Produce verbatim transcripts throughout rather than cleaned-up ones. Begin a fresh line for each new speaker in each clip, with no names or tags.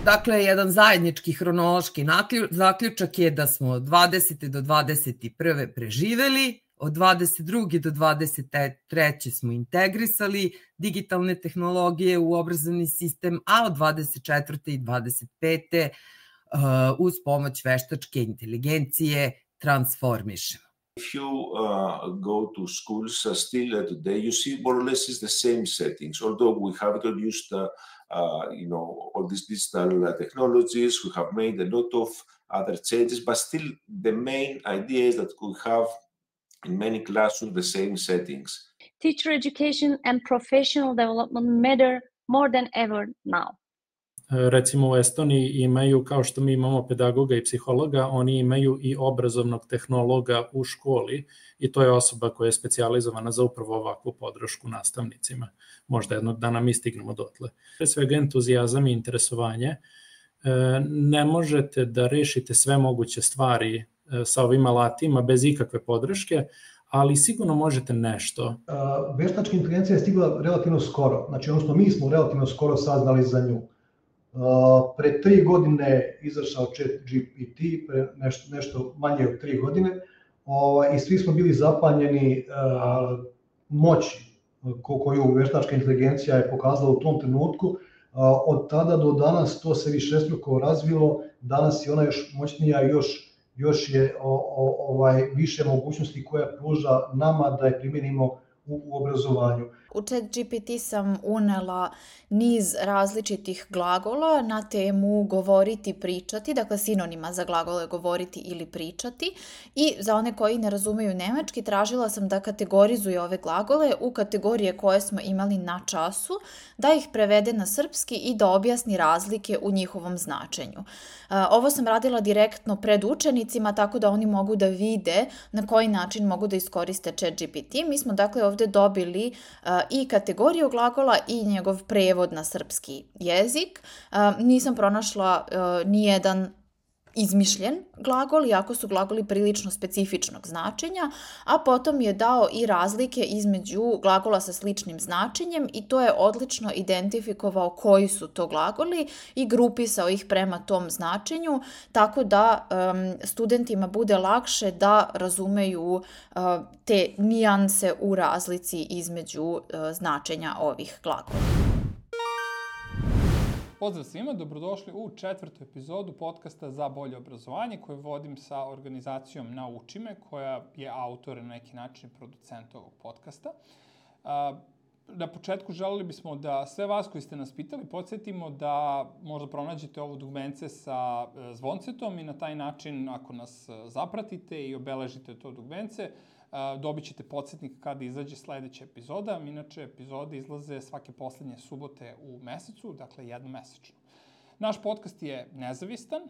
Dakle, jedan zajednički hronološki zaključak je da smo od dvadesete do dvadeset prve preživeli, od dvadeset druge do dvadeset treće smo integrisali digitalne tehnologije u obrazovni sistem, a od dvadeset četvrte i dvadeset pete uz pomoć veštačke inteligencije transformišemo.
If you uh, go to schools uh, still uh, today, you see more or less is the same settings. Although we have introduced, uh, uh, you know, all these digital uh, technologies, we have made a lot of other changes, but still the main idea is that we have in many classrooms the same settings.
Teacher education and professional development matter more than ever now.
Recimo u Estoniji imaju, kao što mi imamo pedagoga i psihologa, oni imaju i obrazovnog tehnologa u školi i to je osoba koja je specijalizovana za upravo ovakvu podršku nastavnicima. Možda jednog dana mi stignemo dotle. Pre svega entuzijazam i interesovanje. Ne možete da rešite sve moguće stvari sa ovim alatima bez ikakve podrške, ali sigurno možete nešto.
Veštačka inteligencija je stigla relativno skoro, znači odnosno mi smo relativno skoro saznali za nju. Pre tri godine izašao ChatGPT, pre nešto, nešto manje od tri godine, i svi smo bili zapanjeni moći koju veštačka inteligencija je pokazala u tom trenutku. Od tada do danas to se višestruko razvilo, danas je ona još moćnija i još, još je o, o, ovaj, više mogućnosti koja pruža nama da je primjenimo u, u obrazovanju.
U ChatGPT sam unela niz različitih glagola na temu govoriti, pričati, dakle sinonima za glagole govoriti ili pričati, i za one koji ne razumeju nemački tražila sam da kategorizuje ove glagole u kategorije koje smo imali na času, da ih prevede na srpski i da objasni razlike u njihovom značenju. Ovo sam radila direktno pred učenicima, tako da oni mogu da vide na koji način mogu da iskoriste ChatGPT. Mi smo dakle ovde dobili i kategoriju glagola i njegov prevod na srpski jezik. Nisam pronašla nijedan izmišljen glagol, iako su glagoli prilično specifičnog značenja, a potom je dao i razlike između glagola sa sličnim značenjem i to je odlično identifikovao koji su to glagoli i grupisao ih prema tom značenju, tako da um, studentima bude lakše da razumeju uh, te nijanse u razlici između uh, značenja ovih glagola.
Pozdrav svima, dobrodošli u četvrtu epizodu podcasta Za bolje obrazovanje koju vodim sa organizacijom Nauči me, koja je autor na neki način producent ovog podcasta. Na početku želeli bismo da sve vas koji ste nas pitali podsjetimo da možda pronađete ovo dugmence sa zvoncetom i na taj način ako nas zapratite i obeležite to dugmence, dobit ćete podsjetnik kada izađe sledeća epizoda. Inače, epizode izlaze svake poslednje subote u mesecu, dakle jednomesečno. Naš podcast je nezavistan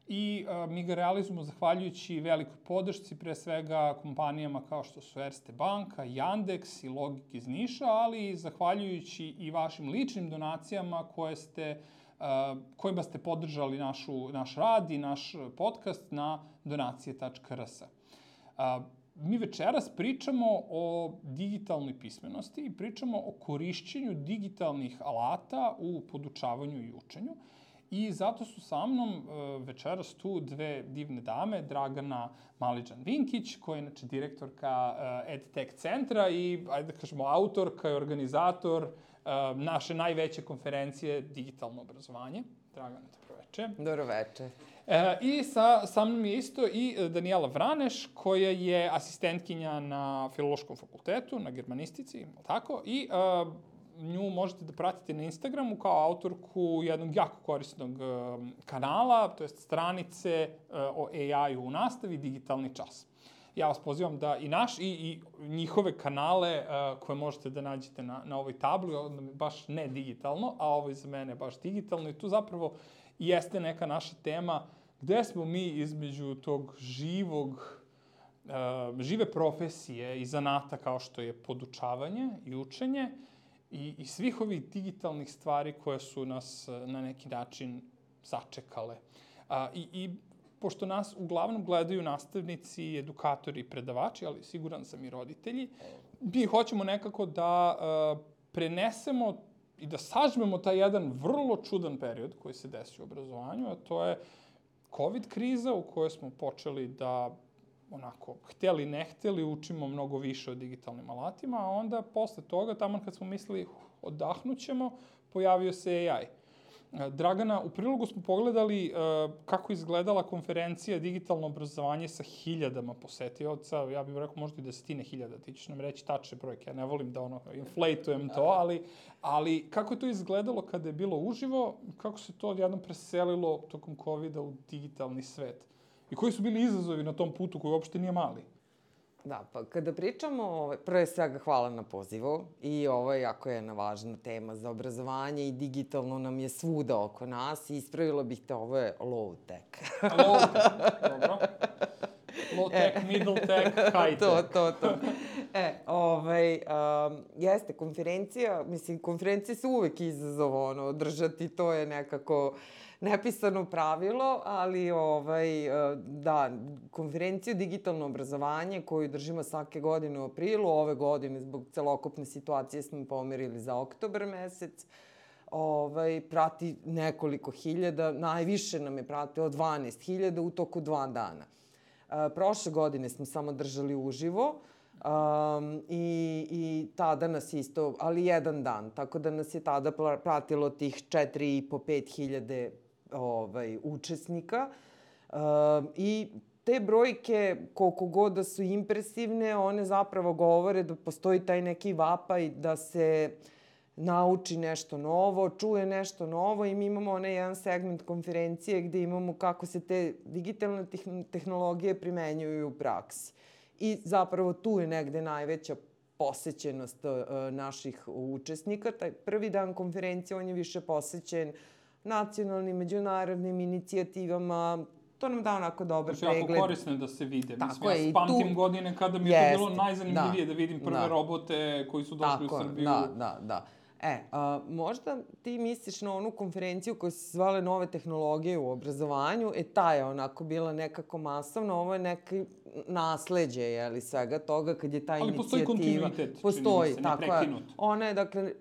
i mi ga realizujemo zahvaljujući velikoj podršci, pre svega kompanijama kao što su Erste banka, Yandex i Logik iz Niša, ali i zahvaljujući i vašim ličnim donacijama koje ste, kojima ste podržali našu, naš rad i naš podcast na donacije tačka r s. Mi večeras pričamo o digitalnoj pismenosti i pričamo o korišćenju digitalnih alata u podučavanju i učenju. I zato su sa mnom večeras tu dve divne dame, Dragana Maliđan-Vinkić, koja je inače direktorka EdTech centra i, ajde da kažemo, autorka i organizator naše najveće konferencije Digitalno obrazovanje. Dragana, dobro veče.
Dobro veče.
E, I sa, sa mnom je isto i Danijela Vraneš, koja je asistentkinja na Filološkom fakultetu, na germanistici, tako, i a, nju možete da pratite na Instagramu kao autorku jednog jako korisnog a, kanala, to jest stranice a, o A I-u u nastavi, Digitalni čas. Ja vas pozivam da i naš i, i njihove kanale a, koje možete da nađete na, na ovoj tabli, baš ne digitalno, a ovo za mene baš digitalno, i tu zapravo jeste neka naša tema gde smo mi između tog živog, uh, žive profesije i zanata kao što je podučavanje i učenje i, i svih ovih digitalnih stvari koje su nas na neki način sačekale. Uh, i, I pošto nas uglavnom gledaju nastavnici, edukatori i predavači, ali siguran sam i roditelji, mi hoćemo nekako da uh, prenesemo i da sažmemo taj jedan vrlo čudan period koji se desio u obrazovanju, a to je COVID kriza u kojoj smo počeli da, onako, hteli ne hteli, učimo mnogo više o digitalnim alatima, a onda posle toga, tamo kad smo mislili odahnućemo, pojavio se A I. Dragana, u prilogu smo pogledali uh, kako izgledala konferencija digitalno obrazovanje sa hiljadama posetioca, ja bih rekao možda i desetine hiljada, ti ćeš nam reći tačne brojke, ja ne volim da ono inflatujem to, ali, ali kako je to izgledalo kada je bilo uživo, kako se to odjednom preselilo tokom kovida u digitalni svet i koji su bili izazovi na tom putu koji uopšte nije mali?
Da, pa kada pričamo, prve svega hvala na pozivu i ovo je jako jedna važna tema za obrazovanje i digitalno nam je svuda oko nas i ispravila bih te, ovo je low tech.
Low tech, dobro. Low tech, middle tech, high tech.
To, to, to. E, ovaj, um, jeste, konferencija, mislim, konferencije su uvek izazov, ono, održati, to je nekako nepisano pravilo, ali ovaj, da, konferenciju digitalno obrazovanje koju držimo svake godine u aprilu, ove godine zbog celokupne situacije smo pomerili za oktobar mesec, ovaj, prati nekoliko hiljada, najviše nam je pratilo dvanaest hiljada u toku dva dana. E, prošle godine smo samo držali uživo, Um, i, i tada nas isto, ali jedan dan, tako da nas je tada pratilo tih četiri i po pet hiljade ovaj, učesnika um, i te brojke, koliko god da su impresivne, one zapravo govore da postoji taj neki vapaj da se nauči nešto novo, čuje nešto novo i mi imamo onaj jedan segment konferencije gde imamo kako se te digitalne tehnologije primenjuju u praksi. I zapravo tu je negde najveća posećenost uh, naših učesnika. Taj prvi dan konferencije, on je više posećen nacionalnim, međunarodnim inicijativama. To nam da onako dobar
pregled.
Znači,
jako korisno je da se vide.
Tako
Mislim,
je,
ja pamtim
tu...
godine kada mi je
Jest,
to bilo najzanimljivije da, da vidim prve
da.
robote koji su došli
Tako,
u Srbiju.
Da, da, da. E, a, možda ti misliš na onu konferenciju koja se zvala Nove tehnologije u obrazovanju, e ta je onako bila nekako masovna, ovo je neki nasleđe, jeli, svega toga kad je ta
ali
inicijativa...
Ali postoji kontinuitet,
postoji,
čini mi se,
tako
neprekinut.
Je. Ona je, dakle,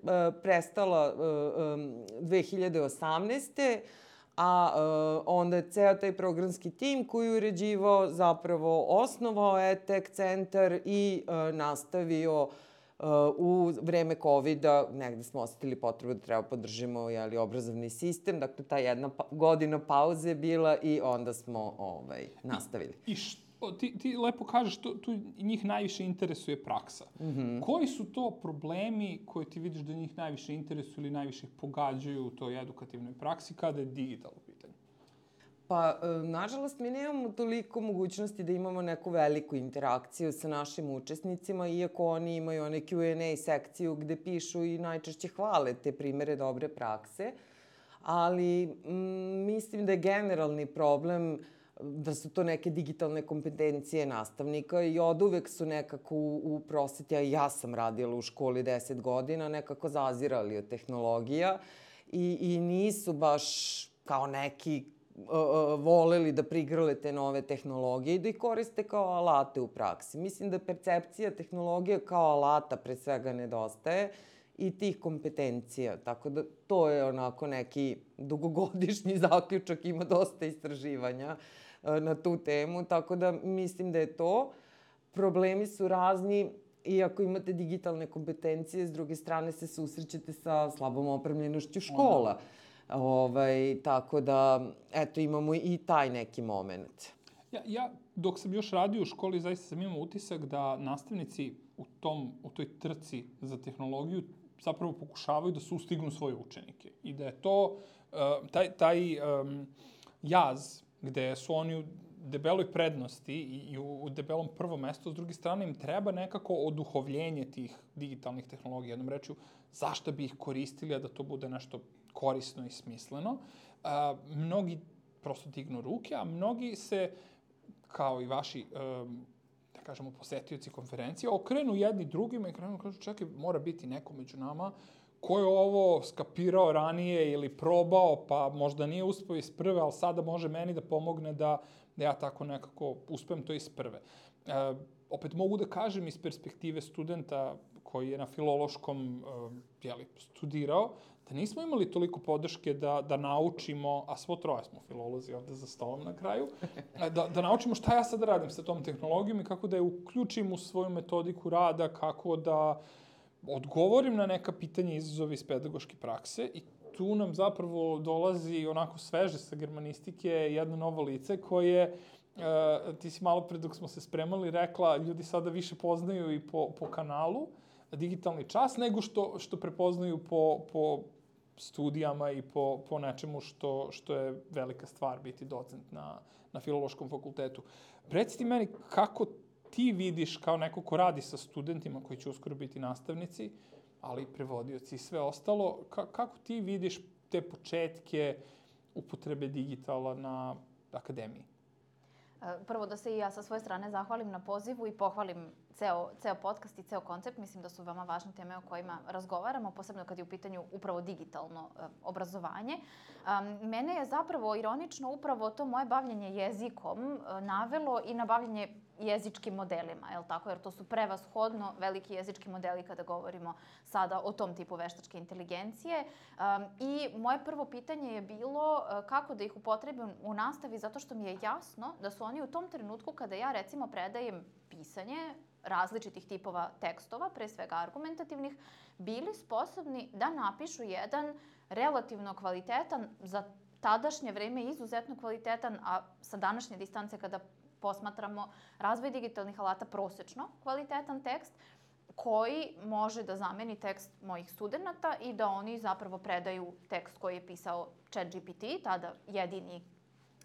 prestala dve hiljade osamnaeste. A uh, onda je ceo taj programski tim koji je uređivao, zapravo osnovao E-Tech centar i uh, nastavio uh, u vreme kovida, negde smo osetili potrebu da treba podržimo jeli, obrazovni sistem, dakle ta jedna pa godina pauze je bila i onda smo ovaj, nastavili.
I, i što, ti, ti lepo kažeš, to, tu njih najviše interesuje praksa. Mm-hmm. Koji su to problemi koje ti vidiš da njih najviše interesuju ili najviše pogađaju u toj edukativnoj praksi kada je digital u pitanju?
Pa, nažalost, mi nemamo toliko mogućnosti da imamo neku veliku interakciju sa našim učesnicima, iako oni imaju one Q and A sekciju gde pišu i najčešće hvale te primere dobre prakse, ali m, mislim da je generalni problem da su to neke digitalne kompetencije nastavnika i od uvek su nekako u, u prosveti, a ja sam radila u školi deset godina, nekako zazirali od tehnologija i, i nisu baš kao neki uh, uh, voleli da prigrle te nove tehnologije i da ih koriste kao alate u praksi. Mislim da percepcija tehnologije kao alata pre svega nedostaje i tih kompetencija, tako da to je onako neki dugogodišnji zaključak, ima dosta istraživanja na tu temu, tako da mislim da je to. Problemi su razni i ako imate digitalne kompetencije, s druge strane se susrećete sa slabom opremljenošću škola. Ovaj, tako da, eto, imamo i taj neki moment.
Ja, ja, dok sam još radio u školi, zaista sam imao utisak da nastavnici u, tom, u toj trci za tehnologiju zapravo pokušavaju da sustignu svoje učenike. I da je to, uh, taj, taj um, jaz gde su oni u debeloj prednosti i u debelom prvom mestu, s druge strane im treba nekako oduhovljenje tih digitalnih tehnologija. Jednom rečju, zašto bi ih koristili, a da to bude nešto korisno i smisleno. A, mnogi prosto dignu ruke, a mnogi se, kao i vaši, um, da kažemo, posetioci konferencije, okrenu jedni drugima i krenu kažu, čekaj, mora biti neko među nama ko je ovo skapirao ranije ili probao, pa možda nije uspeo iz prve, ali sada može meni da pomogne da, da ja tako nekako uspem to iz prve. E, opet mogu da kažem iz perspektive studenta koji je na filološkom jeli, studirao, da nismo imali toliko podrške da, da naučimo, a svo troje smo filolozi ovde za stolom na kraju, da, da naučimo šta ja sad radim sa tom tehnologijom i kako da je uključim u svoju metodiku rada, kako da odgovorim na neka pitanja i izazove iz pedagoške prakse i tu nam zapravo dolazi onako sveže sa germanistike jedno novo lice koje, uh, ti si malo pre dok smo se spremali rekla, ljudi sada više poznaju i po, po kanalu Digitalni čas, nego što, što prepoznaju po, po studijama i po, po nečemu što, što je velika stvar biti docent na, na filološkom fakultetu. Reci ti meni kako ti vidiš kao neko ko radi sa studentima koji će uskoro biti nastavnici, ali i prevodioci i sve ostalo, ka, kako ti vidiš te početke upotrebe digitala na akademiji?
Prvo da se i ja sa svoje strane zahvalim na pozivu i pohvalim ceo, ceo podcast i ceo koncept. Mislim da su veoma važne teme o kojima razgovaramo, posebno kad je u pitanju upravo digitalno uh, obrazovanje. Um, mene je zapravo ironično upravo to moje bavljenje jezikom uh, navelo i na bavljenje jezičkim modelima, je li tako? Jer to su prevashodno veliki jezički modeli kada govorimo sada o tom tipu veštačke inteligencije. Um, I moje prvo pitanje je bilo uh, kako da ih upotrebim u nastavi, zato što mi je jasno da su oni u tom trenutku kada ja recimo predajem pisanje različitih tipova tekstova, pre svega argumentativnih, bili sposobni da napišu jedan relativno kvalitetan, za tadašnje vreme izuzetno kvalitetan, a sa današnje distance kada posmatramo razvoj digitalnih alata prosečno kvalitetan tekst koji može da zameni tekst mojih studenta i da oni zapravo predaju tekst koji je pisao ChatGPT, tada jedini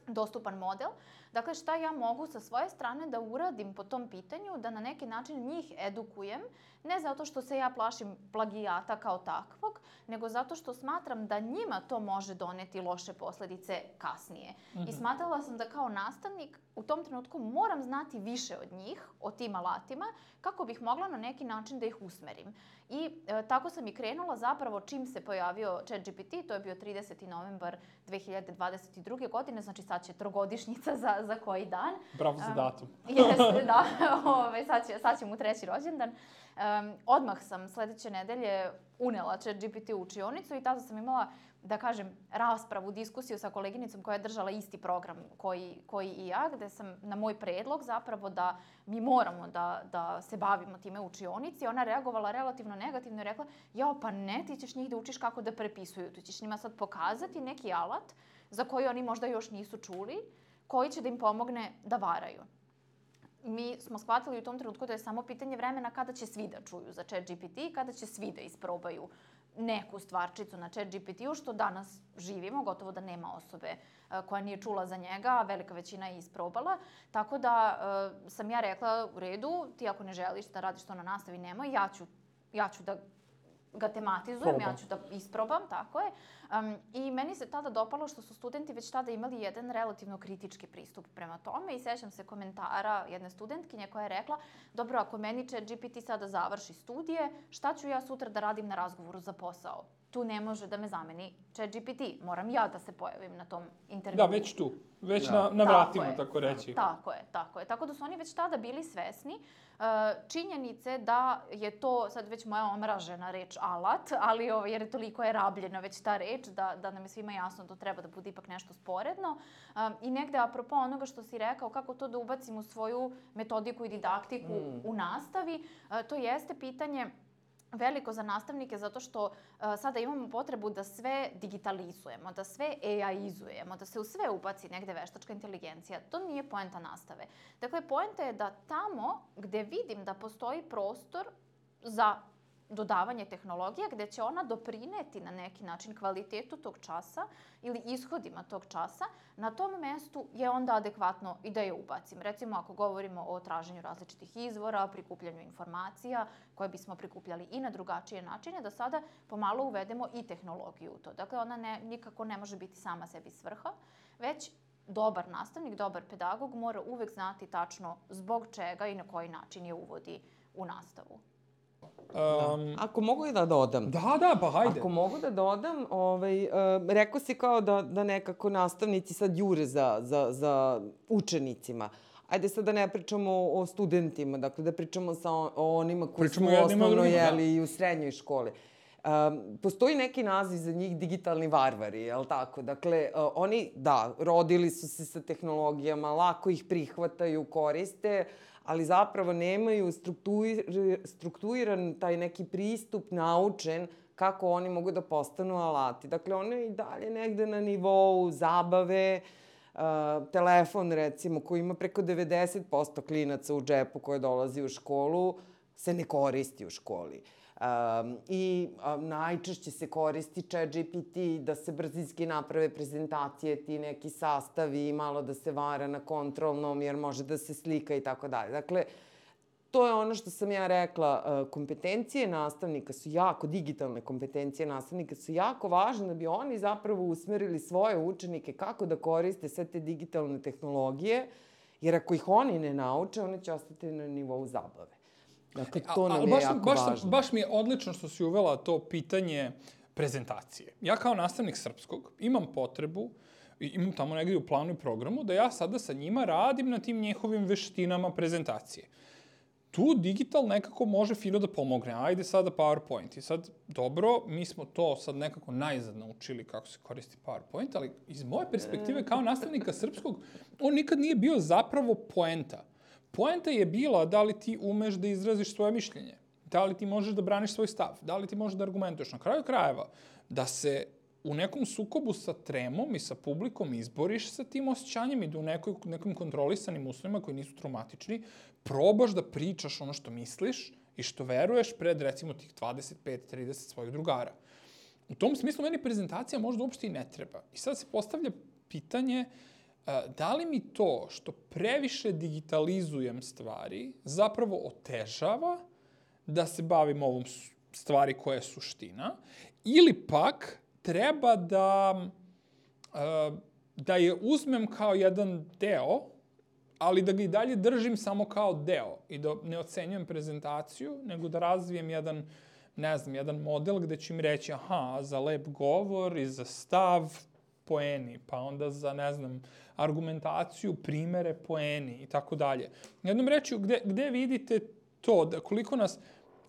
dostupan model. Dakle, šta ja mogu sa svoje strane da uradim po tom pitanju, da na neki način njih edukujem, ne zato što se ja plašim plagijata kao takvog, nego zato što smatram da njima to može doneti loše posledice kasnije. Mm-hmm. I smatrala sam da kao nastavnik u tom trenutku moram znati više od njih, o tim alatima, kako bih mogla na neki način da ih usmerim. I e, tako sam i krenula zapravo čim se pojavio ChatGPT, to je bio trideseti novembar dve hiljade dvadeset druge godine, znači sad će trogodišnjica za, za koji dan.
Bravo za datum.
Um, jeste, da, ove, sad, će, sad će mu treći rođendan. Um, odmah sam sledeće nedelje unela ChatGPT u učionicu i tada sam imala, da kažem, raspravu, diskusiju sa koleginicom koja je držala isti program koji, koji i ja, gde sam na moj predlog zapravo da mi moramo da, da se bavimo time u učionici. Ona reagovala relativno negativno i rekla, jao, pa ne, ti ćeš njih da učiš kako da prepisuju. Tu ćeš njima sad pokazati neki alat za koji oni možda još nisu čuli, koji će da im pomogne da varaju. Mi smo shvatili u tom trenutku da je samo pitanje vremena kada će svi da čuju za ChatGPT i kada će svi da isprobaju neku stvarčicu na ChatGPT-u, što danas živimo, gotovo da nema osobe koja nije čula za njega, a velika većina je isprobala. Tako da uh, sam ja rekla, u redu, ti ako ne želiš da radiš to na nastavi, nemoj, ja ću, ja ću da ga tematizujem, Proba. ja ću da isprobam, tako je. Um, I meni se tada dopalo što su studenti već tada imali jedan relativno kritički pristup prema tome i sećam se komentara jedne studentkinje koja je rekla, dobro, ako meni ChatGPT sada završi studije, šta ću ja sutra da radim na razgovoru za posao? Tu ne može da me zameni ChatGPT, moram ja da se pojavim na tom intervju.
Da, već tu, već da. na, na vratima, tako, tako reći.
Tako je, tako je. Tako da su oni već tada bili svesni uh, činjenice da je to, sad već moja omražena reč, alat, ali ovo, jer je toliko je rabljena već ta reč, da, da nam je svima jasno da treba da bude ipak nešto sporedno. Um, I negde, apropo onoga što si rekao, kako to da ubacim u svoju metodiku i didaktiku mm. u nastavi, uh, to jeste pitanje veliko za nastavnike zato što uh, sada imamo potrebu da sve digitalizujemo, da sve A I-izujemo, da se u sve ubaci negde veštačka inteligencija. To nije poenta nastave. Dakle, poenta je da tamo gde vidim da postoji prostor za dodavanje tehnologije, gde će ona doprineti na neki način kvalitetu tog časa ili ishodima tog časa, na tom mestu je onda adekvatno i da je ubacim. Recimo, ako govorimo o traženju različitih izvora, prikupljanju informacija koje bismo prikupljali i na drugačije načine, da sada pomalo uvedemo i tehnologiju u to. Dakle, ona ne, nikako ne može biti sama sebi svrha, već dobar nastavnik, dobar pedagog mora uvek znati tačno zbog čega i na koji način je uvodi u nastavu.
Um, da. Ako mogu i da dodam.
Da, da, pa hajde.
Ako mogu da dodam, ovaj, uh, rekao si kao da, da nekako nastavnici sad jure za, za, za učenicima. ajde sad da ne pričamo o studentima, dakle da pričamo sa o onima koji
Pričamo
su u
jednima,
osnovnoj,
drugima, da.
jeli, i u srednjoj školi. Um, postoji neki naziv za njih digitalni varvari, je li tako? Dakle, uh, oni, da, rodili su se sa tehnologijama, lako ih prihvataju, koriste, ali zapravo nemaju struktuir, strukturiran taj neki pristup naučen kako oni mogu da postanu alati. Dakle, one i dalje negde na nivou zabave, uh, telefon, recimo, koji ima preko devedeset posto klinaca u džepu koje dolazi u školu, se ne koristi u školi. Um, I um, najčešće se koristi Chat G P T da se brzinski naprave prezentacije, ti neki sastavi, malo da se vara na kontrolnom jer može da se slika i tako dalje. Dakle, to je ono što sam ja rekla, uh, kompetencije nastavnika su jako, digitalne kompetencije nastavnika su jako važne da bi oni zapravo usmerili svoje učenike kako da koriste sve te digitalne tehnologije, jer ako ih oni ne nauče, oni će ostati na nivou zabave. Dakle, to nam je
baš,
jako
baš,
važno.
Baš mi je odlično što si uvela to pitanje prezentacije. Ja kao nastavnik srpskog imam potrebu, imam tamo negdje u planu i programu, da ja sada sa njima radim na tim njihovim veštinama prezentacije. Tu digital nekako može fino da pomogne. Ajde sada PowerPoint. I sad, dobro, mi smo to sad nekako najzad naučili kako se koristi PowerPoint, ali iz moje perspektive kao nastavnika srpskog, on nikad nije bio zapravo poenta. Poenta je bila da li ti umeš da izraziš svoje mišljenje, da li ti možeš da braniš svoj stav, da li ti možeš da argumentuješ. Na kraju krajeva, da se u nekom sukobu sa tremom i sa publikom izboriš sa tim osjećanjem i da u nekoj, nekim kontrolisanim uslovima koji nisu traumatični, probaš da pričaš ono što misliš i što veruješ pred, recimo, tih dvadeset pet do trideset svojih drugara. U tom smislu meni prezentacija možda uopšte i ne treba. I sad se postavlja pitanje da li mi to što previše digitalizujem stvari zapravo otežava da se bavim ovom stvari koja je suština, ili pak treba da, da je uzmem kao jedan deo, ali da ga i dalje držim samo kao deo i da ne ocenjujem prezentaciju, nego da razvijem jedan, ne znam, jedan model gde ću im reći, aha, za lep govor i za stav poeni, pa onda za, ne znam, argumentaciju, primere, poeni i tako dalje. Jednom rečju, gde, gde vidite to, da koliko nas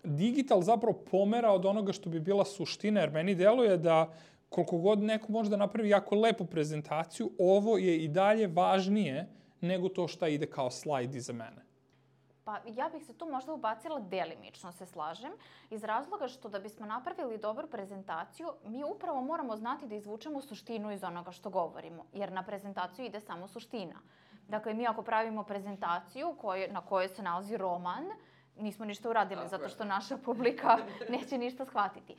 digital zapravo pomera od onoga što bi bila suština, jer meni deluje da koliko god neko može da napravi jako lepu prezentaciju, ovo je i dalje važnije nego to šta ide kao slajd iza mene.
Pa ja bih se tu možda ubacila delimično, se slažem, iz razloga što da bismo napravili dobru prezentaciju, mi upravo moramo znati da izvučemo suštinu iz onoga što govorimo, jer na prezentaciju ide samo suština. Dakle, mi ako pravimo prezentaciju koje, na kojoj se nalazi roman, nismo ništa uradili, zato što naša publika neće ništa shvatiti.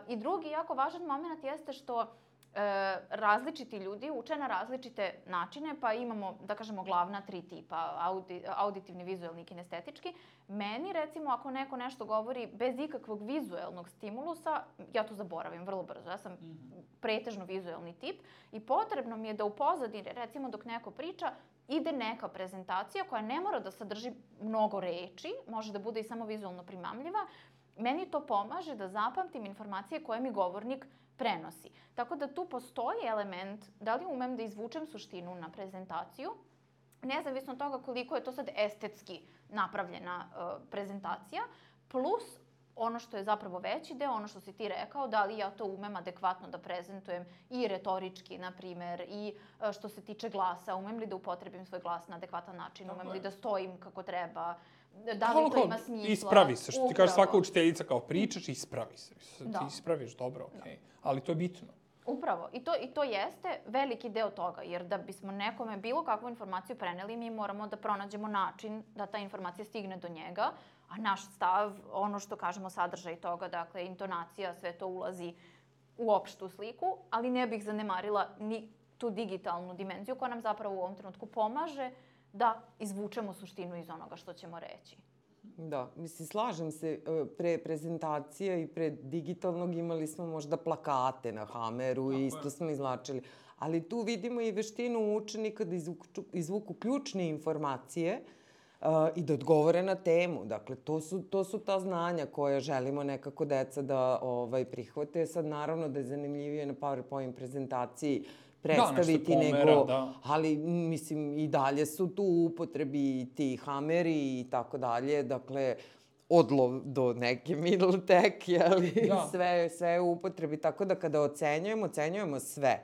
I drugi jako važan moment jeste što E, različiti ljudi uče na različite načine, pa imamo, da kažemo, glavna tri tipa, audi, auditivni, vizuelni i kinestetički. Meni, recimo, ako neko nešto govori bez ikakvog vizuelnog stimulusa, ja to zaboravim vrlo brzo. Ja sam pretežno vizuelni tip i potrebno mi je da u pozadini, recimo dok neko priča, ide neka prezentacija koja ne mora da sadrži mnogo reči, može da bude i samo vizualno primamljiva. Meni to pomaže da zapamtim informacije koje mi govornik prenosi. Tako da tu postoji element da li umem da izvučem suštinu na prezentaciju, nezavisno od toga koliko je to sad estetski napravljena uh, prezentacija, plus ono što je zapravo veći deo, ono što si ti rekao, da li ja to umem adekvatno da prezentujem i retorički, na primer, i uh, što se tiče glasa, umem li da upotrebim svoj glas na adekvatan način, umem li da stojim kako treba, da li to ima smisla.
Ispravi se, što ti kaže svaka učiteljica, kao pričaš, ispravi se. Da. Ti ispraviš, dobro, okej. Okay. Ali to je bitno.
Upravo. I to, I to jeste veliki deo toga, jer da bismo nekome bilo kakvu informaciju preneli, mi moramo da pronađemo način da ta informacija stigne do njega, a naš stav, ono što kažemo, sadržaj toga, dakle, intonacija, sve to ulazi u opštu sliku, ali ne bih zanemarila ni tu digitalnu dimenziju koja nam zapravo u ovom trenutku pomaže da izvučemo suštinu iz onoga što ćemo reći.
Da, mislim, slažem se, pre prezentacije i pre digitalnog imali smo možda plakate na Hameru i isto smo izlačili. Ali tu vidimo i veštinu učenika da izvuku, izvuku ključne informacije uh, i da odgovore na temu. Dakle, to su, to su ta znanja koje želimo nekako deca da ovaj, prihvate. Sad, naravno da je zanimljivije na PowerPoint prezentaciji predstaviti,
da, pomera,
nego,
da.
ali mislim i dalje su tu u upotrebi ti hameri i tako dalje, dakle, odlov do neke middle tech, jeli, da. sve, sve je u upotrebi, tako da kada ocenjujemo, ocenjujemo sve.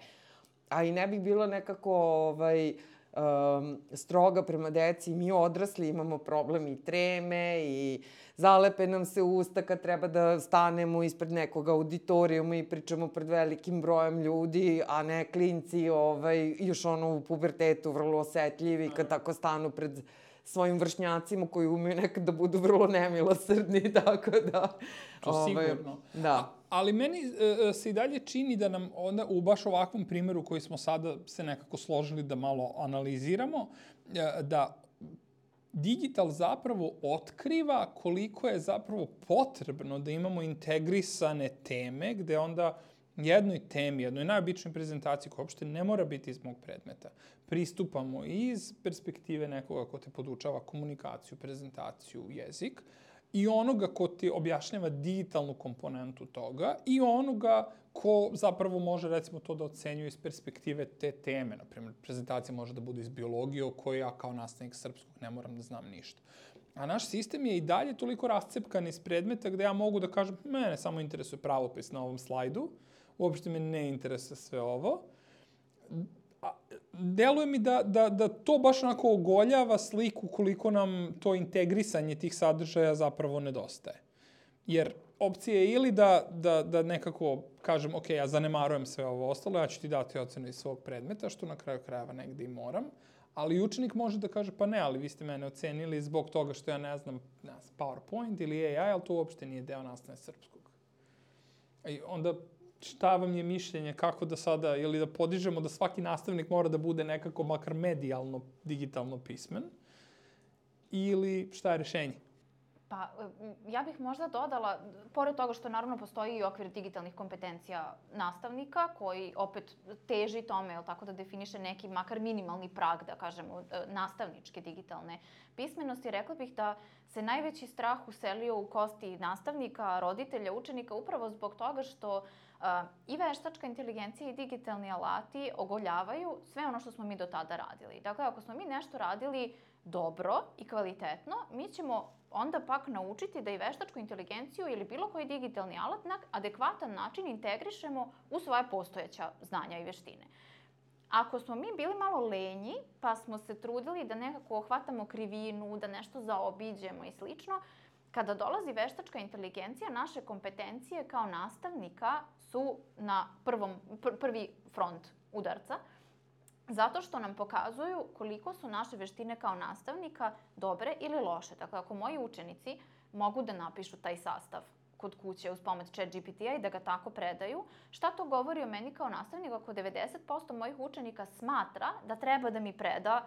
A i ne bih bilo nekako ovaj, um, stroga prema deci, mi odrasli imamo problem i treme i zalepe nam se usta kad treba da stanemo ispred nekog auditorijuma i pričamo pred velikim brojem ljudi, a ne klinci ovaj, još ono u pubertetu vrlo osetljivi kad tako stanu pred svojim vršnjacima koji umeju nekad da budu vrlo nemilosrdni, tako da...
To
ovaj,
sigurno.
Da.
A, ali meni e, se i dalje čini da nam onda u baš ovakvom primjeru koji smo sada se nekako složili da malo analiziramo, e, da digital zapravo otkriva koliko je zapravo potrebno da imamo integrisane teme, gde onda jednoj temi, jednoj najobičnoj prezentaciji koja uopšte ne mora biti iz mog predmeta, pristupamo iz perspektive nekoga ko te podučava komunikaciju, prezentaciju, jezik, i onoga ko ti objašnjava digitalnu komponentu toga i onoga ko zapravo može, recimo, to da ocenjuje iz perspektive te teme. Naprimjer, prezentacija može da bude iz biologije o kojoj ja kao nastavnik srpskog ne moram da znam ništa. A naš sistem je i dalje toliko rascepkan iz predmeta gde ja mogu da kažem, mene samo interesuje pravopis na ovom slajdu, uopšte me ne interesuje sve ovo. A, deluje mi da, da, da to baš onako ogoljava sliku koliko nam to integrisanje tih sadržaja zapravo nedostaje. Jer opcija je ili da, da, da nekako kažem, ok, ja zanemarujem sve ovo ostalo, ja ću ti dati ocenu iz svog predmeta, što na kraju krajeva negde i moram, ali učenik može da kaže, pa ne, ali vi ste mene ocenili zbog toga što ja ne znam, ne znam PowerPoint ili A I, ali to uopšte nije deo nastave srpskog. I onda šta vam je mišljenje, kako da sada, ili da podižemo da svaki nastavnik mora da bude nekako makar medijalno, digitalno pismen, ili šta je rešenje?
Pa, ja bih možda dodala, pored toga što naravno postoji i okvir digitalnih kompetencija nastavnika, koji opet teži tome, jel tako, da definiše neki makar minimalni prag, da kažemo, nastavničke digitalne pismenosti, rekla bih da se najveći strah uselio u kosti nastavnika, roditelja, učenika, upravo zbog toga što uh, i veštačka inteligencija i digitalni alati ogoljavaju sve ono što smo mi do tada radili. Dakle, ako smo mi nešto radili dobro i kvalitetno, mi ćemo onda pak naučiti da i veštačku inteligenciju ili bilo koji digitalni alat na adekvatan način integrišemo u svoje postojeća znanja i veštine. Ako smo mi bili malo lenji, pa smo se trudili da nekako hvatamo krivinu, da nešto zaobiđemo i slično, kada dolazi veštačka inteligencija, naše kompetencije kao nastavnika su na prvom, pr prvi front udarca, zato što nam pokazuju koliko su naše veštine kao nastavnika dobre ili loše. Dakle, ako moji učenici mogu da napišu taj sastav kod kuće uz pomoć Chat G P T-a i da ga tako predaju, šta to govori o meni kao nastavniku ako devedeset posto mojih učenika smatra da treba da mi preda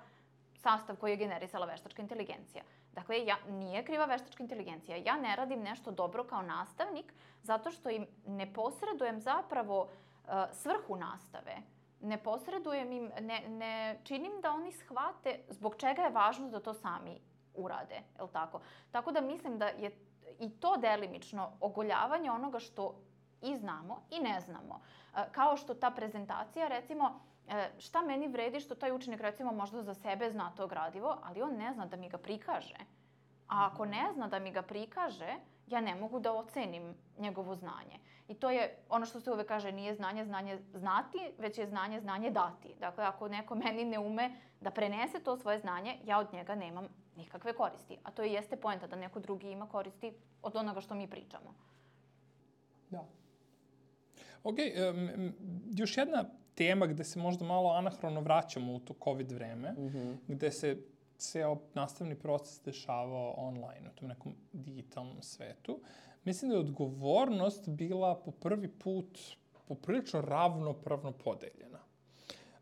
sastav koji je generisala veštačka inteligencija? Dakle, ja, nije kriva veštačka inteligencija. Ja ne radim nešto dobro kao nastavnik zato što im ne posredujem zapravo uh, svrhu nastave. Ne posredujem im, ne, ne činim da oni shvate zbog čega je važno da to sami urade, je li tako? Tako da mislim da je i to delimično ogoljavanje onoga što i znamo i ne znamo. Kao što ta prezentacija, recimo, šta meni vredi što taj učenik, recimo, možda za sebe zna to gradivo, ali on ne zna da mi ga prikaže. A ako ne zna da mi ga prikaže, ja ne mogu da ocenim njegovo znanje. I to je ono što se uvek kaže, nije znanje, znanje znati, već je znanje, znanje dati. Dakle, ako neko meni ne ume da prenese to svoje znanje, ja od njega nemam nikakve koristi. A to i jeste poenta da neko drugi ima koristi od onoga što mi pričamo.
Da. Ok, um, još jedna tema gde se možda malo anahrono vraćamo u to COVID vreme, mm-hmm. gde se ceo nastavni proces dešavao online, u tom nekom digitalnom svetu. Mislim da je odgovornost bila po prvi put poprilično ravnopravno podeljena.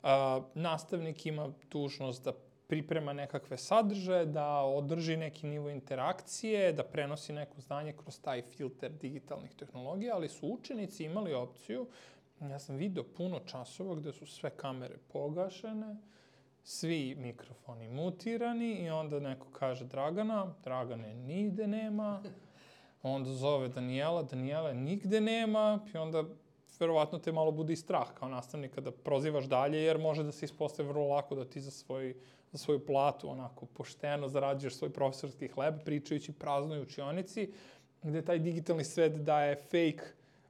Uh, nastavnik ima dužnost da priprema nekakve sadržaje, da održi neki nivo interakcije, da prenosi neko znanje kroz taj filter digitalnih tehnologija, ali su učenici imali opciju, ja sam video puno časova gde su sve kamere pogašene, svi mikrofoni mutirani i onda neko kaže Dragana, Dragane nigde nema, onda zove Danijela, Danijela nigde nema i onda verovatno te malo bude i strah kao nastavnika da prozivaš dalje, jer može da se ispostavi vrlo lako da ti za, svoj, za svoju platu onako pošteno zarađuješ svoj profesorski hleb, pričajući praznoj učionici, gde taj digitalni svet daje fake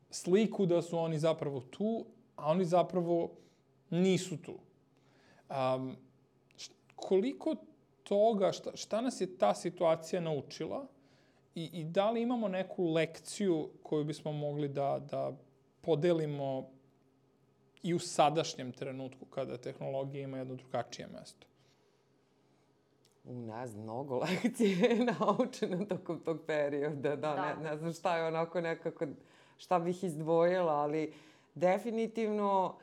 sliku da su oni zapravo tu, a oni zapravo nisu tu. Um, koliko toga, šta, šta nas je ta situacija naučila i, i da li imamo neku lekciju koju bismo mogli da, da podelimo i u sadašnjem trenutku kada tehnologija ima jedno drugačije mesto?
U, ne znam, mnogo lekcije je naučeno tokom tog perioda, da, da. Ne, ne znam šta je onako nekako, šta bih izdvojila, ali definitivno...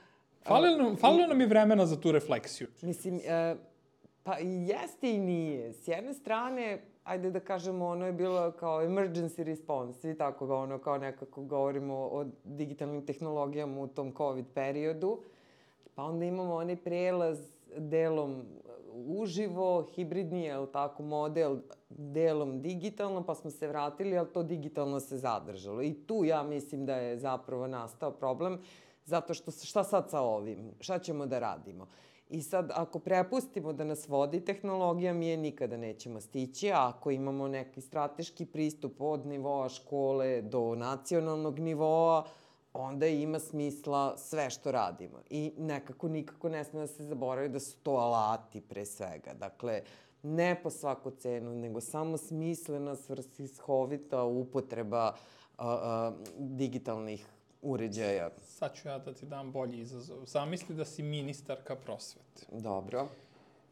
Falilo nam, falilo nam je vremena za tu refleksiju.
Mislim, e, pa i jeste i nije. S jedne strane, ajde da kažemo, ono je bilo kao emergency response, svi tako ga ono, kao nekako govorimo o digitalnim tehnologijama u tom COVID periodu. Pa onda imamo onaj prelaz delom uživo, hibridni, je tako, model delom digitalno, pa smo se vratili, ali to digitalno se zadržalo. I tu ja mislim da je zapravo nastao problem, zato što šta sad sa ovim? Šta ćemo da radimo? I sad, ako prepustimo da nas vodi tehnologija, mi je nikada nećemo stići, a ako imamo neki strateški pristup od nivoa škole do nacionalnog nivoa, onda ima smisla sve što radimo. I nekako nikako ne sme da se zaboravi da su to alati pre svega. Dakle, ne po svaku cenu, nego samo smislena, svrsishovita upotreba a, a, digitalnih uređaja.
Sad ću ja da ti dam bolji izazov. Zamisli da si ministarka prosvete.
Dobro.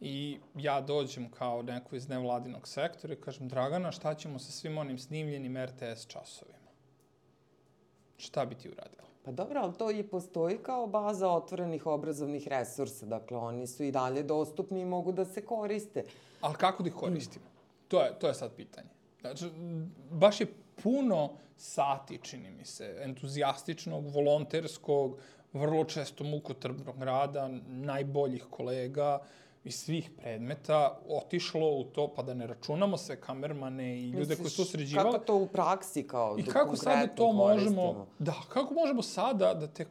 I ja dođem kao neko iz nevladinog sektora i kažem, Dragana, šta ćemo sa svim onim snimljenim er te es časovima? Šta bi ti uradila?
Pa dobro, ali to i postoji kao baza otvorenih obrazovnih resursa. Dakle, oni su i dalje dostupni i mogu da se koriste.
Ali kako da ih koristimo? To je, to je sad pitanje. Znači, baš je puno sati, čini mi se, entuzijastičnog, volonterskog, vrlo često mukotrpnog rada, najboljih kolega iz svih predmeta otišlo u to, pa da ne računamo sve kamermane i ljude koji su to sređivali.
Kako to u praksi kao
I kako sada to možemo, da, kako možemo sada da te,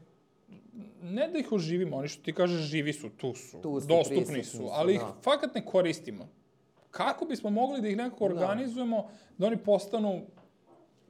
ne da ih oživimo, oni što ti kažeš živi su, tu su,
tu su
dostupni su, ali ih
da.
fakat ne koristimo. Kako bismo mogli da ih nekako organizujemo, da, da oni postanu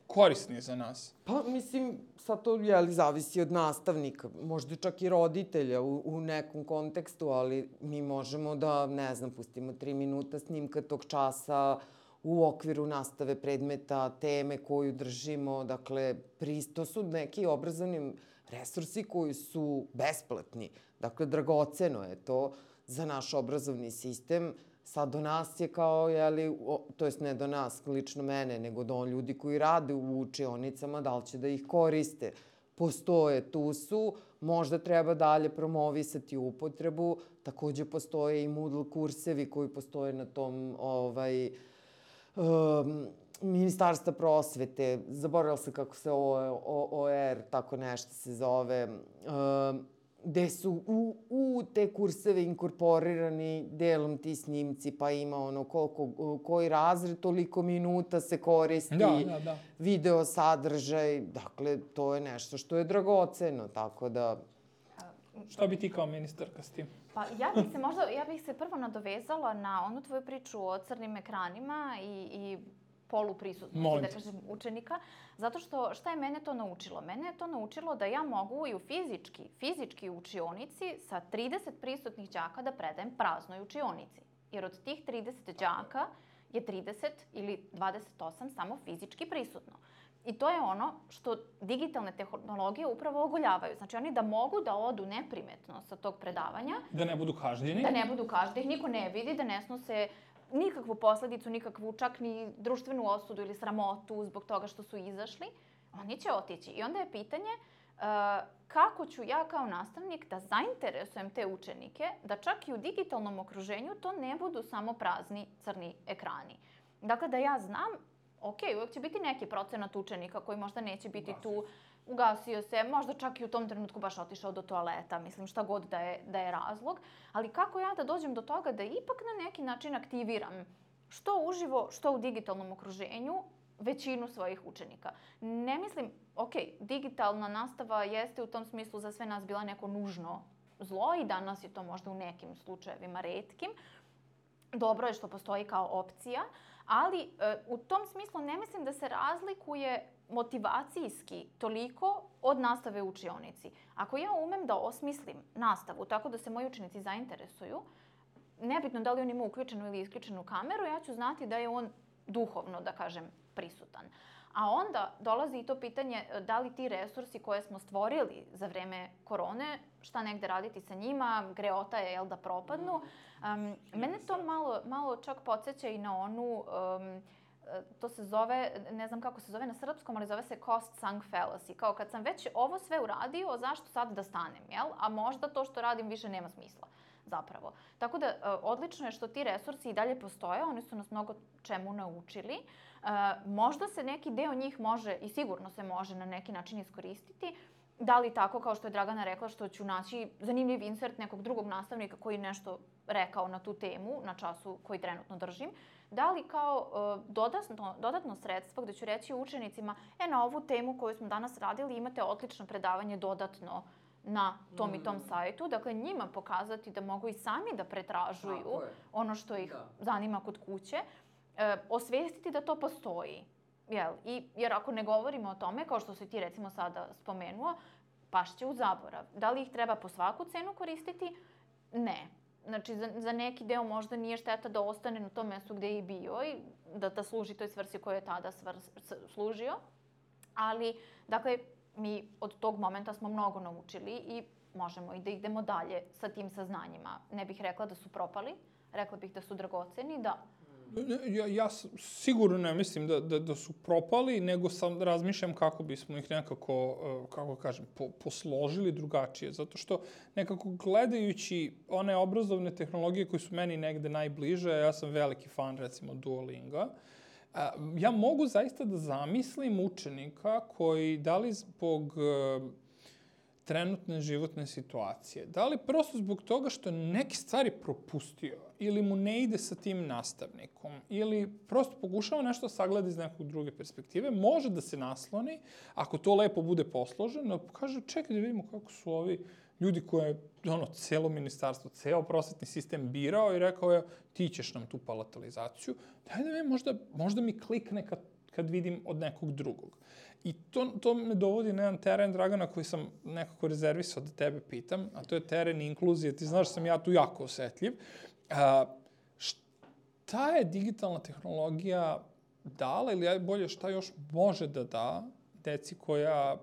korisni za nas?
Pa, mislim, sad to, jeli, zavisi od nastavnika, možda čak i roditelja u, u nekom kontekstu, ali mi možemo da, ne znam, pustimo tri minuta snimka tog časa u okviru nastave predmeta, teme koju držimo, dakle, pristo su neki obrazovni resursi koji su besplatni. Dakle, dragoceno je to za naš obrazovni sistem. Sad do nas je kao, jeli, to jest ne do nas, lično mene, nego do ljudi koji rade u učionicama, da li će da ih koriste. Postoje, tu su, možda treba dalje promovisati upotrebu, takođe postoje i Moodle kursevi koji postoje na tom, ovaj, um, Ministarstva prosvete, zaboravila sam kako se O R, tako nešto se zove, um, gde su u, u te kurseve inkorporirani delom ti snimci, pa ima ono koliko, koji razred, toliko minuta se koristi,
da, da, da.
video sadržaj, dakle, to je nešto što je dragoceno, tako da...
Šta bi ti kao ministarka s tim?
Pa ja bih se možda, ja bih se prvo nadovezala na onu tvoju priču o crnim ekranima i, i poluprisutnosti, da kažem, učenika, zato što šta je mene to naučilo? Mene je to naučilo da ja mogu i u fizički, fizički učionici sa trideset prisutnih đaka da predajem praznoj učionici. Jer od tih trideset đaka je trideset ili dvadeset osam samo fizički prisutno. I to je ono što digitalne tehnologije upravo ogoljavaju. Znači, oni da mogu da odu neprimetno sa tog predavanja.
Da ne budu kažnjeni.
Da ne budu kažnjeni, niko ne vidi, da ne snose nikakvu posledicu, nikakvu čak ni društvenu osudu ili sramotu zbog toga što su izašli, oni će otići. I onda je pitanje uh, kako ću ja kao nastavnik da zainteresujem te učenike da čak i u digitalnom okruženju to ne budu samo prazni crni ekrani. Dakle, da ja znam, ok, uvek će biti neki procenat učenika koji možda neće biti tu, ugasio se, možda čak i u tom trenutku baš otišao do toaleta, mislim šta god da je, da je razlog, ali kako ja da dođem do toga da ipak na neki način aktiviram što uživo, što u digitalnom okruženju, većinu svojih učenika. Ne mislim, ok, digitalna nastava jeste u tom smislu za sve nas bila neko nužno zlo i danas je to možda u nekim slučajevima retkim. Dobro je što postoji kao opcija, ali e, u tom smislu ne mislim da se razlikuje motivacijski toliko od nastave u učionici. Ako ja umem da osmislim nastavu tako da se moji učenici zainteresuju, nebitno da li on ima uključenu ili isključenu kameru, ja ću znati da je on duhovno, da kažem, prisutan. A onda dolazi i to pitanje da li ti resursi koje smo stvorili za vreme korone, šta negde raditi sa njima, greota je, jel, da propadnu. Um, mene to malo, malo čak podsjeća i na onu, um, to se zove, ne znam kako se zove na srpskom, ali zove se cost sunk fallacy. Kao kad sam već ovo sve uradio, zašto sad da stanem, jel? A možda to što radim više nema smisla. Zapravo. Tako da, odlično je što ti resursi i dalje postoje, oni su nas mnogo čemu naučili. Možda se neki deo njih može, i sigurno se može na neki način iskoristiti, da li tako kao što je Dragana rekla, što ću naći zanimljiv insert nekog drugog nastavnika koji nešto rekao na tu temu, na času koji trenutno držim, da li kao dodatno, dodatno sredstvo gde ću reći učenicima, e, na ovu temu koju smo danas radili imate odlično predavanje dodatno na tom i tom sajtu. Dakle, njima pokazati da mogu i sami da pretražuju ono što ih da. zanima kod kuće. E, osvestiti da to postoji. Jel? I, jer ako ne govorimo o tome, kao što si ti recimo sada spomenuo, pašće u zaborav. Da li ih treba po svaku cenu koristiti? Ne. Znači, za, za neki deo možda nije šteta da ostane na tom mestu gde je i bio i da, da služi toj svrsi koju je tada svr, služio. Ali, dakle, mi od tog momenta smo mnogo naučili i možemo i da idemo dalje sa tim saznanjima. Ne bih rekla da su propali, rekla bih da su dragoceni, da.
Ja, ja sigurno ne mislim da, da, da su propali, nego sam razmišljam kako bismo ih nekako, kako kažem, po, posložili drugačije. Zato što nekako gledajući one obrazovne tehnologije koje su meni negde najbliže, ja sam veliki fan recimo Duolinga, ja mogu zaista da zamislim učenika koji, da li zbog trenutne životne situacije, da li prosto zbog toga što neke stvari propustio ili mu ne ide sa tim nastavnikom ili prosto pokušava nešto sagleda iz nekog druge perspektive, može da se nasloni, ako to lepo bude posloženo, kaže čekaj da vidimo kako su ovi ljudi koje ono, celo ministarstvo, ceo prosvetni sistem birao i rekao je ti ćeš nam tu palatalizaciju, daj da me možda, možda mi klikne kad kad vidim od nekog drugog. I to, to me dovodi na jedan teren, Dragana, koji sam nekako rezervisao da tebe pitam, a to je teren inkluzije. Ti znaš da sam ja tu jako osetljiv. A, šta je digitalna tehnologija dala ili bolje šta još može da da deci koja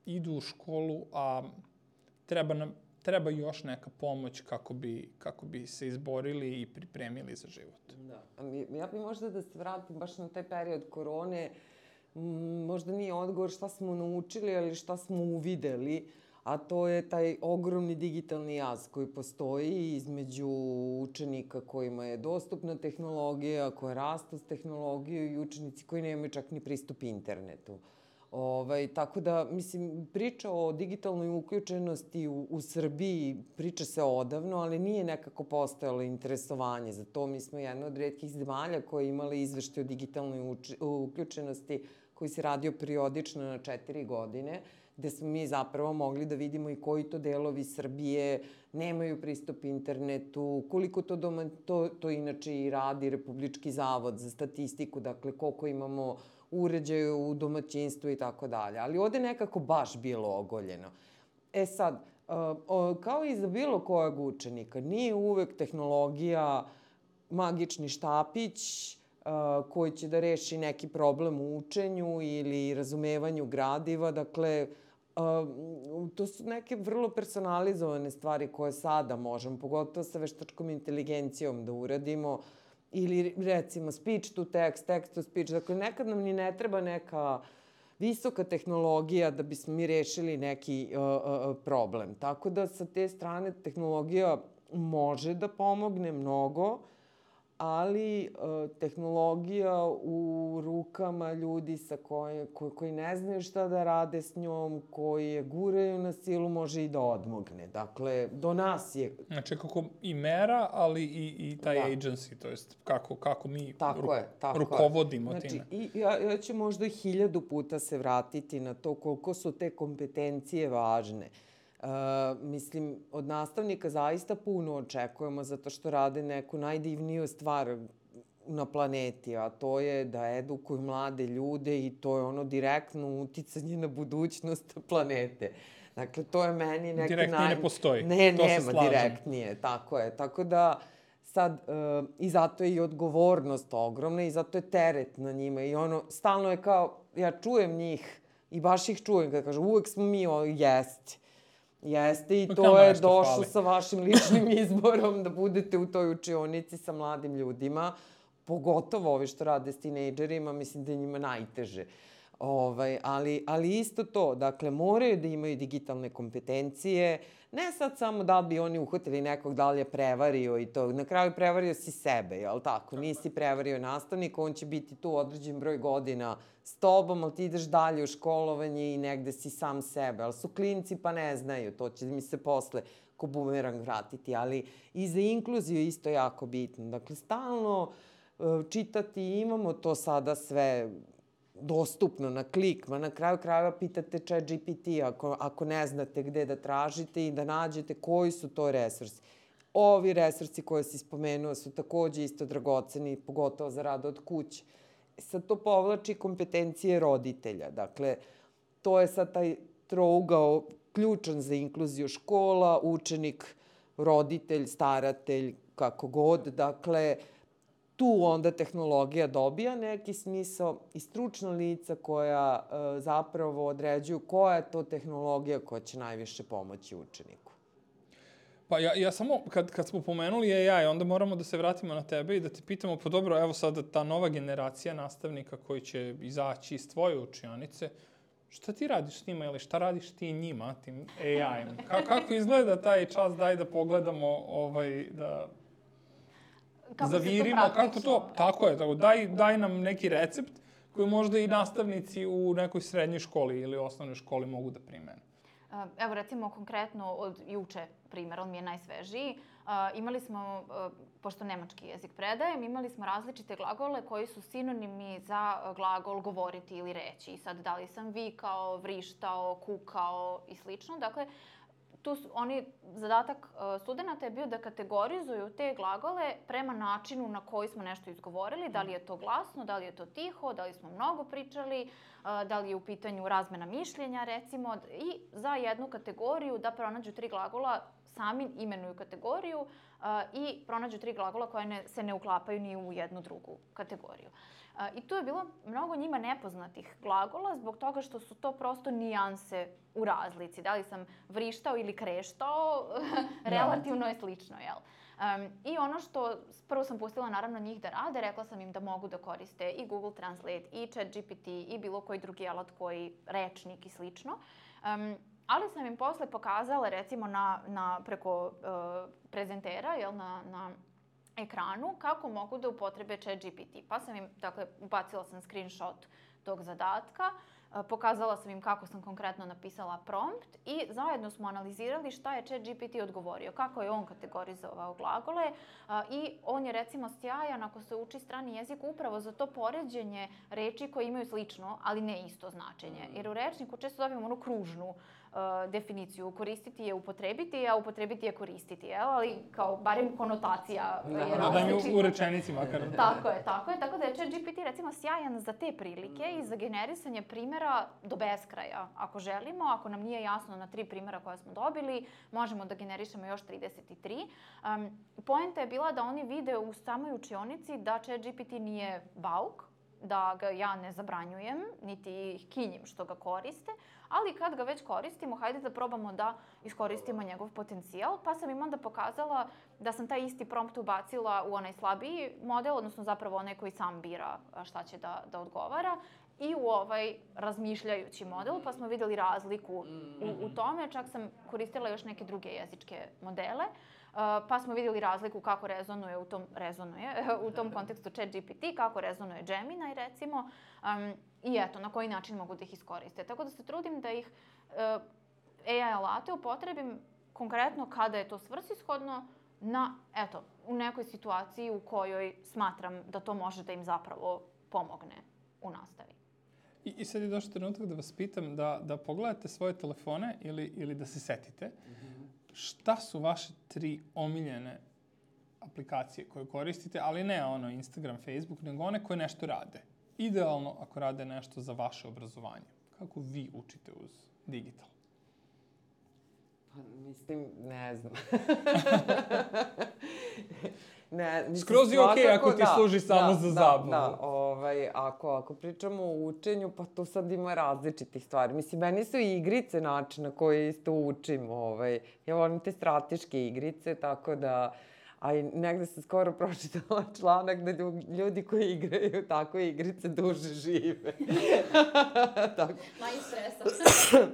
idu u školu, a treba nam treba još neka pomoć kako bi, kako bi se izborili i pripremili za život.
Da. Ja bih možda da se vratim baš na taj period korone. Možda nije odgovor šta smo naučili, ali šta smo uvideli, a to je taj ogromni digitalni jaz koji postoji između učenika kojima je dostupna tehnologija, koja rastu s tehnologijom i učenici koji nemaju čak ni pristup internetu. Ovaj, tako da, mislim, priča o digitalnoj uključenosti u, u Srbiji, priča se odavno, ali nije nekako postojalo interesovanje za to. Mi smo jedna od retkih zemalja koja je imala izveštaj o digitalnoj uči, uključenosti koji se radio periodično na četiri godine, gde smo mi zapravo mogli da vidimo i koji to delovi Srbije nemaju pristup internetu, koliko to, doma, to, to inače i radi Republički zavod za statistiku, dakle koliko imamo uređaja u domaćinstvu i tako dalje. Ali ovde nekako baš bilo ogoljeno. E sad, kao i za bilo kojeg učenika, nije uvek tehnologija magični štapić koji će da reši neki problem u učenju ili razumevanju gradiva. Dakle, to su neke vrlo personalizovane stvari koje sada možemo, pogotovo sa veštačkom inteligencijom da uradimo, ili recimo speech to text, text to speech. Dakle, nekad nam ni ne treba neka visoka tehnologija da bismo mi rešili neki uh, uh, problem. Tako da sa te strane tehnologija može da pomogne mnogo, ali tehnologija u rukama ljudi sa koje, koji, koji ne znaju šta da rade s njom, koji je guraju na silu, može i da odmogne. Dakle, do nas je...
Znači, kako i mera, ali i, i taj da. agency, to jest kako, kako mi
tako
ru,
je, tako
rukovodimo
znači,
time.
I ja, ja ću možda hiljadu puta se vratiti na to koliko su te kompetencije važne. Uh, mislim, od nastavnika zaista puno očekujemo zato što rade neku najdivniju stvar na planeti, a to je da edukuju mlade ljude i to je ono direktno uticanje na budućnost planete. Dakle, to je meni neki...
Direktnije naj... ne postoji.
Ne,
to
nema direktnije, tako je. Tako da, sad, uh, i zato je i odgovornost ogromna i zato je teret na njima i ono, stalno je kao, ja čujem njih i baš ih čujem kada kažu, uvek smo mi o jesti. Jeste i to je došlo sa vašim ličnim izborom da budete u toj učionici sa mladim ljudima, pogotovo ovi što rade s tinejdžerima, mislim da je njima najteže. Ovaj, ali, ali isto to, dakle, moraju da imaju digitalne kompetencije, ne sad samo da bi oni uhvatili nekog da li je prevario i to, na kraju prevario si sebe, jel tako? Nisi prevario nastavnika, on će biti tu određen broj godina s tobom, ali ti ideš dalje u školovanje i negde si sam sebe, ali su klinci pa ne znaju, to će mi se posle ko bumerang vratiti, ali i za inkluziju isto jako bitno. Dakle, stalno čitati, imamo to sada sve dostupno na klik, ma na kraju krajeva pitate Chat G P T ako, ako ne znate gde da tražite i da nađete koji su to resursi. Ovi resursi koje si spomenuo su takođe isto dragoceni, pogotovo za rad od kuće. Sad to povlači kompetencije roditelja. Dakle, to je sad taj trougao ključan za inkluziju škola, učenik, roditelj, staratelj, kako god. Dakle, tu onda tehnologija dobija neki smisao i stručna lica koja e, zapravo određuju koja je to tehnologija koja će najviše pomoći učeniku.
Pa ja, ja samo, kad, kad smo pomenuli A I, onda moramo da se vratimo na tebe i da te pitamo, pa dobro, evo sada ta nova generacija nastavnika koji će izaći iz tvoje učionice, šta ti radiš s njima ili šta radiš ti njima, tim A I-em? Ka, kako izgleda taj čas, daj da pogledamo, ovaj, da...
Kako
zavirimo,
to
kako to, tako je, tako, daj, daj nam neki recept koji možda i nastavnici u nekoj srednjoj školi ili osnovnoj školi mogu da primene.
Evo recimo konkretno od juče primjer, on mi je najsvežiji. Imali smo, pošto nemački jezik predajem, imali smo različite glagole koji su sinonimi za glagol govoriti ili reći. I sad da li sam vikao, vrištao, kukao i slično. Dakle, tu su, oni, zadatak studenta je bio da kategorizuju te glagole prema načinu na koji smo nešto izgovorili, da li je to glasno, da li je to tiho, da li smo mnogo pričali, da li je u pitanju razmena mišljenja, recimo, i za jednu kategoriju da pronađu tri glagola, sami imenuju kategoriju i pronađu tri glagola koje ne, se ne uklapaju ni u jednu drugu kategoriju. I tu je bilo mnogo njima nepoznatih glagola zbog toga što su to prosto nijanse u razlici. Da li sam vrištao ili kreštao, relativno je slično, jel? Um, I ono što, prvo sam pustila naravno njih da rade, rekla sam im da mogu da koriste i Google Translate, i Chat G P T, i bilo koji drugi alat koji, rečnik i slično. Um, ali sam im posle pokazala recimo na, na preko uh, prezentera, jel, na, na ekranu, kako mogu da upotrebe Chat G P T. Pa sam im, dakle, ubacila sam screenshot tog zadatka, pokazala sam im kako sam konkretno napisala prompt i zajedno smo analizirali šta je Chat G P T odgovorio, kako je on kategorizovao glagole i on je recimo sjajan ako se uči strani jezik upravo za to poređenje reči koje imaju slično, ali ne isto značenje. Jer u rečniku često dobijemo onu kružnu uh, definiciju. Koristiti je upotrebiti, a upotrebiti je koristiti, jel? Ali kao barem konotacija je različita.
Da, u rečenici makar.
Tako je, tako je. Tako da je Chat G P T recimo sjajan za te prilike i za generisanje primjera do beskraja. Ako želimo, ako nam nije jasno na tri primjera koje smo dobili, možemo da generišemo još trideset tri. Um, poenta je bila da oni vide u samoj učionici da Chat G P T nije bauk, da ga ja ne zabranjujem, niti ih kinjim što ga koriste, ali kad ga već koristimo, hajde da probamo da iskoristimo njegov potencijal, pa sam im onda pokazala da sam taj isti prompt ubacila u onaj slabiji model, odnosno zapravo onaj koji sam bira šta će da, da odgovara, i u ovaj razmišljajući model, pa smo videli razliku u, u tome. Čak sam koristila još neke druge jezičke modele. pa smo vidjeli razliku kako rezonuje u tom, rezonuje, u tom kontekstu ChatGPT, kako rezonuje Gemini recimo, um, i eto, na koji način mogu da ih iskoriste. Tako da se trudim da ih uh, A I alate upotrebim konkretno kada je to svrsishodno na, eto, u nekoj situaciji u kojoj smatram da to može da im zapravo pomogne u nastavi.
I, i sad je došao trenutak da vas pitam da, da pogledate svoje telefone ili, ili da se setite. Mm-hmm. Šta su vaše tri omiljene aplikacije koje koristite, ali ne ono Instagram, Facebook, nego one koje nešto rade? Idealno ako rade nešto za vaše obrazovanje. Kako vi učite uz digital?
Pa, mislim, ne znam. ne, mislim,
skroz je okej okay ako ti
da,
služi samo
da,
za
da,
zabavu.
Da, ovaj, ako, ako pričamo o učenju, pa tu sad ima različitih stvari. Mislim, meni su i igrice način na koji isto učim. Ovaj. Ja volim te strateške igrice, tako da... A i negde sam skoro pročitala članak da ljudi koji igraju tako igrice duže žive. Tako.
Manje stresa.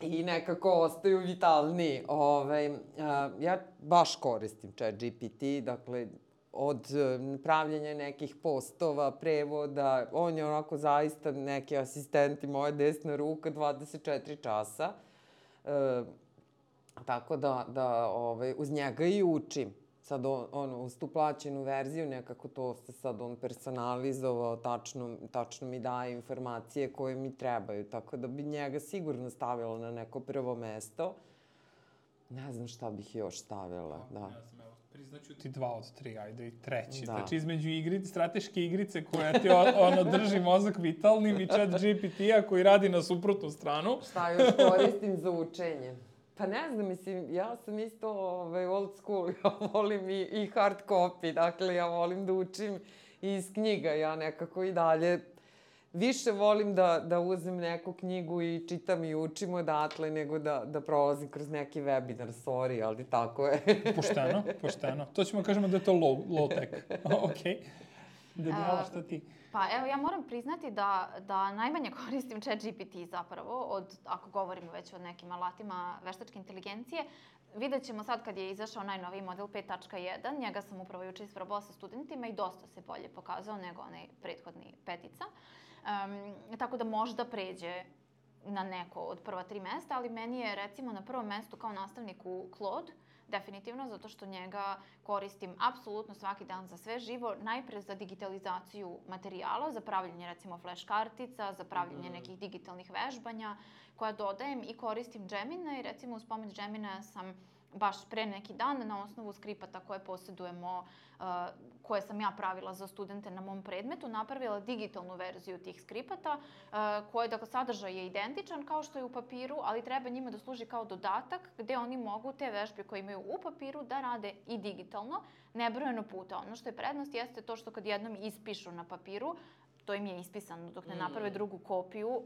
I nekako ostaju vitalniji. Ove, ja baš koristim ChatGPT, dakle, od pravljenja nekih postova, prevoda, on je onako zaista neki asistenti, moja desna ruka, dvadeset četiri časa. E, tako da, da ove, uz njega i učim. Sad, on, ono, uz tu plaćenu verziju, nekako to se sad on personalizovao, tačno, tačno mi daje informacije koje mi trebaju, tako da bi njega sigurno stavila na neko prvo mesto. Ne znam šta bih još stavila, da.
Ne znam, evo, priznaću ti dva od tri, ajde i treći.
Da.
Znači, između igrice, strateške igrice koja ti ono, drži mozak vitalnim i ChatGPT-a koji radi na suprotnu stranu.
Šta još koristim za učenje? Pa ne znam, mislim, ja sam isto ovaj, old school, ja volim i, i hard copy, dakle, ja volim da učim iz knjiga, ja nekako i dalje više volim da, da uzmem neku knjigu i čitam i učim odatle, nego da, da prolazim kroz neki webinar, sorry, ali tako je.
Pošteno, pošteno. To ćemo kažemo da je to low, low tech. Okej. Danijela, šta ti?
Pa evo, ja moram priznati da, da najmanje koristim ChatGPT zapravo, od, ako govorimo već o nekim alatima veštačke inteligencije. Vidjet ćemo sad kad je izašao najnoviji model pet tačka jedan, njega sam upravo juče isprobala sa studentima i dosta se bolje pokazao nego onaj prethodni petica. Um, tako da možda pređe na neko od prva tri mesta, ali meni je recimo na prvom mestu kao nastavniku Claude, definitivno, zato što njega koristim apsolutno svaki dan za sve živo, najpre za digitalizaciju materijala, za pravljenje recimo flash kartica, za pravljenje nekih digitalnih vežbanja koja dodajem i koristim Gemini. Recimo uz pomoć Gemina sam baš pre neki dan na osnovu skripata koje posjedujemo, uh, koje sam ja pravila za studente na mom predmetu, napravila digitalnu verziju tih skripata, uh, koje, dakle, sadržaj je identičan kao što je u papiru, ali treba njima da služi kao dodatak gde oni mogu te vežbe koje imaju u papiru da rade i digitalno, nebrojeno puta. Ono što je prednost jeste to što kad jednom ispišu na papiru, to im je ispisano dok ne naprave drugu kopiju,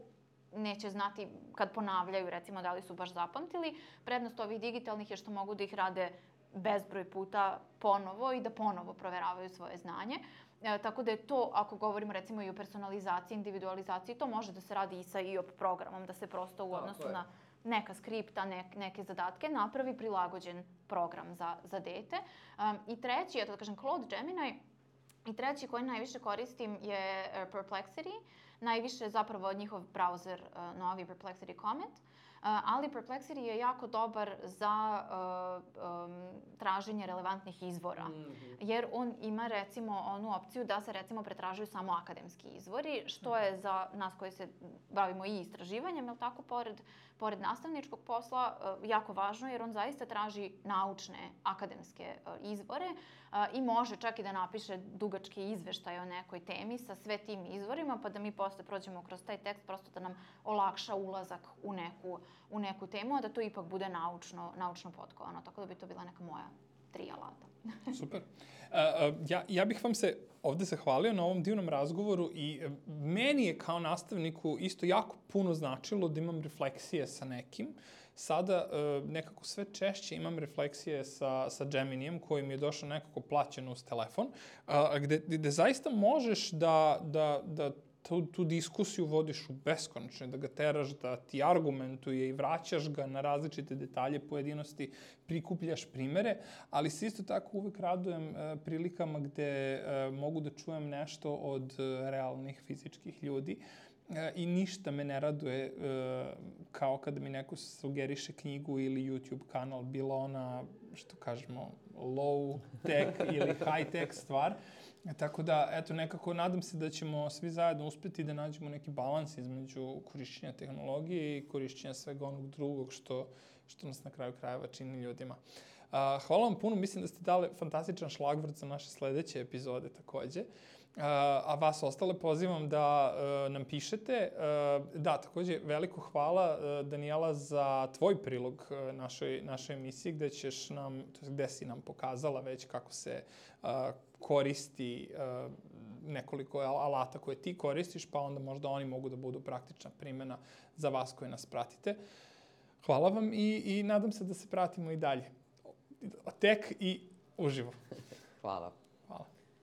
neće znati kad ponavljaju, recimo, da li su baš zapamtili. Prednost ovih digitalnih je što mogu da ih rade bezbroj puta ponovo i da ponovo proveravaju svoje znanje. E, tako da je to, ako govorimo recimo i o personalizaciji, individualizaciji, to može da se radi i sa I O P programom, da se prosto u odnosu na neka skripta, ne, neke zadatke napravi prilagođen program za, za dete. Um, I treći, ja to da kažem, Claude, Gemini, i treći koji najviše koristim je Perplexity. Najviše zapravo njihov browser, uh, novi Perplexity Comet. Uh, ali Perplexity je jako dobar za uh, um, traženje relevantnih izvora. Mm-hmm. Jer on ima recimo onu opciju da se recimo pretražuju samo akademski izvori, što je za nas koji se bavimo i istraživanjem, jel tako, pored, pored nastavničkog posla, uh, jako važno jer on zaista traži naučne akademske uh, izvore uh, i može čak i da napiše dugački izveštaj o nekoj temi sa sve tim izvorima, pa da mi posle prođemo kroz taj tekst prosto da nam olakša ulazak u neku u neku temu, a da to ipak bude naučno, naučno potkovano. Tako da bi to bila neka moja tri alata.
Super. Uh, uh, ja, ja bih vam se ovde zahvalio na ovom divnom razgovoru i uh, meni je kao nastavniku isto jako puno značilo da imam refleksije sa nekim. Sada uh, nekako sve češće imam refleksije sa, sa Geminijem koji mi je došao nekako plaćeno uz telefon, uh, gde, gde zaista možeš da, da, da tu, tu diskusiju vodiš u beskonačno, da ga teraš, da ti argumentuje i vraćaš ga na različite detalje, pojedinosti, prikupljaš primere, ali se isto tako uvek radujem uh, prilikama gde uh, mogu da čujem nešto od uh, realnih fizičkih ljudi uh, i ništa me ne raduje uh, kao kada mi neko sugeriše knjigu ili YouTube kanal, bila ona, što kažemo, low tech ili high tech stvar. Tako da, eto, nekako nadam se da ćemo svi zajedno uspeti da nađemo neki balans između korišćenja tehnologije i korišćenja svega onog drugog što, što nas na kraju krajeva čini ljudima. Uh, hvala vam puno, mislim da ste dali fantastičan šlagvrt za naše sledeće epizode takođe. Uh, a vas ostale pozivam da uh, nam pišete. Uh, da, takođe, veliko hvala uh, Danijela za tvoj prilog uh, našoj, našoj emisiji, gde ćeš nam, to je gde si nam pokazala već kako se uh, koristi uh, nekoliko alata koje ti koristiš, pa onda možda oni mogu da budu praktična primjena za vas koji nas pratite. Hvala vam i, i nadam se da se pratimo i dalje. Tek i uživo.
Hvala.